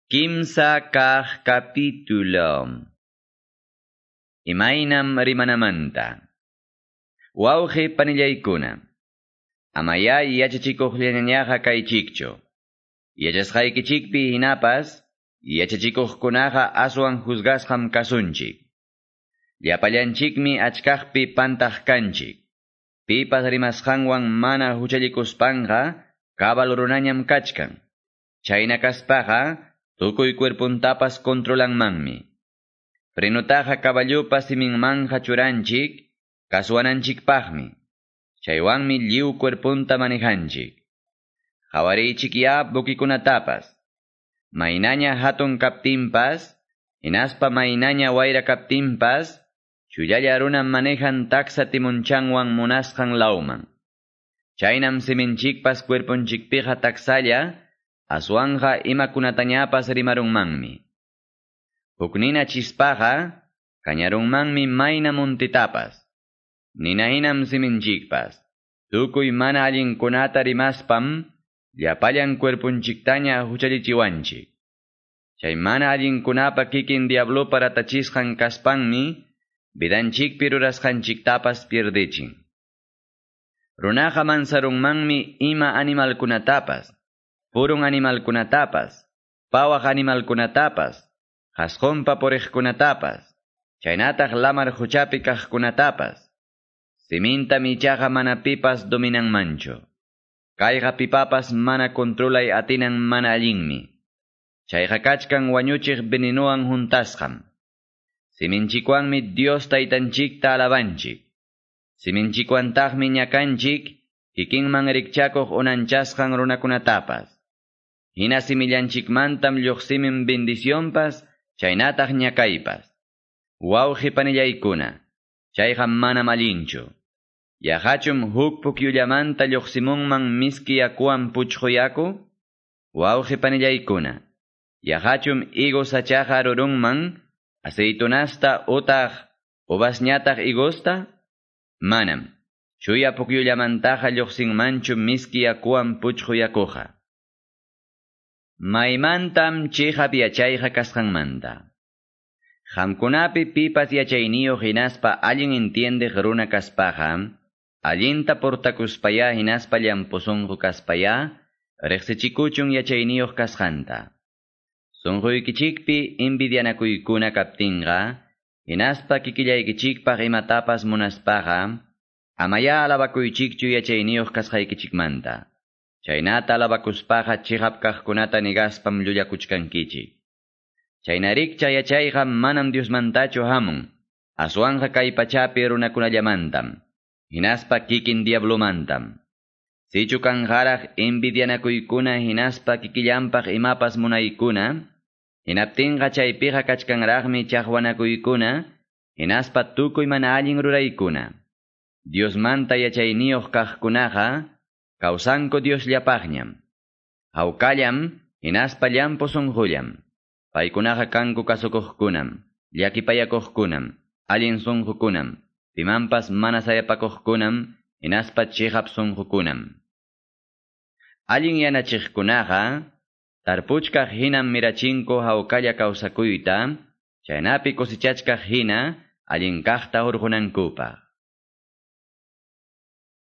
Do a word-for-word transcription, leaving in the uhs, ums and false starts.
Kimsa kaq capítulo. Imaynam rimanamanta. Wawqi panillaykuna. Amaya yachachikuqllañaqa kaychikchu. Yachasqaykichikpi hinapas, yachachikuqkunaqa aswan juzgasqam kasunchik. Llapallanchikmi achkaqpi pantaq kanchik. Pipas rimasqanwan mana huchallikuspanqa cabal runañam kachkan. Chayna kaspaqa tukuy cuerpuntapas controlanmanmi. Frenutaqa caballupa siminmanja churanchik, kasuwananchikpaqmi. Chaywanmi lliw cuerpunta manejanchik. Qhawariychik ya buquikunatapas. Maynaña hatun kaptinpas, hinaspa maynaña wayra kaptinpas, chullalla runam manejan taksa timunchanwan munasqan lawman. Chaynam siminchikpas cuerpunchikpiqa taksalla, aswanja imakunatañapas rimarunmanmi. Huk nina chispaqa, kañarunmanmi mayna muntitapas. Nina hinam siminchikpas. Tukuy mana allinkunata rimaspam, llapallan cuerpunchiktaña huchallichiwanchik. Chay mana allinkunapa kikin diablopa ratachisqan kaspanmi, vidanchikpi rurasqanchiktapas pierdichin. Runaqa mansarunmanmi ima animalkunatapas, purun animalkunatapas, pawaq animalkunatapas, qasqunpa puriqkunatapas, chaynataq lamar quchapi kaqkunatapas. Simintam ichaqa mana pipas dominanmanchu. Kayqa pipapas mana controlay atinan mana allinmi. Chayqa kachkan wañuchiq venenuwan huntasqam. Siminchikwanmi Dios taytanchikta alabanchik. Siminchikwantaqmi ñakanchik, kikinman rikchakuq unanchasqan runakunatapas. Hina simillanchikmantam lluqsimin bendicionpas, chaynataq ñakaypas. Wawqi panillaykuna, chayqa manam allinchu. Yaqachum huk pukyullamanta lluqsimunman miski yakuwan puchqu yaku? Wawqi panillaykuna, yaqachum higo sachaqa rurunman aceitunasta utaq uvasñataq higosta? Manam. Chuya pukyullamantaqa lluqsinmanchu miski yakuwan puchqu yakuqa. Maymantam chiqap yachayqa kasqanmanta. Qamkunapi pipas yachayniyuq hinaspa allin entiendeq runa kaspaqa, allinta portakuspaya hinaspa llampu sunqu kaspaya, riqsichikuchun yachayniyuq kasqanta. Sunquykichikpi envidianakuykuna kaptinqa, hinaspa kikillaykichikpaq imatapas munaspaqa, amaya alabakuychikchu yachayniyuq kasqaykichikmanta. Chaynata alabakuspaqa chiqap kaqkunata nigaspam llullakuchkankichik. Chaynarikcha yachayqa manam Diosmantachu hamun, aswanqa kay pachapi runakunallamantam, hinaspa kikin diablomantam. Sichu kanqaraq envidianakuykuna hinaspa kikillanpaq imapas munaykuna, hinaptinqa chaypiqa kachkanraqmi chaqwanakuykuna, hinaspa tukuy mana allin ruraykuna. Diosmanta yachayniyuq kaqkunaqa, kawsanku Diosllapaqñam. Hawkallam, hinaspa llampu sunqullam. Paykunaqa kanku kasukuqkunam, llakipayakuqkunam, allin sunqukunam, pimanpas mana sayapakuqkunam, hinaspa chiqap sunqukunam. Allin yanachiqkunaqa, tarpuchkaq hinam mirachinku hawkalla kawsakuyta, chaynapi cosechachkaq hina allin kaqta hurqunankupaq.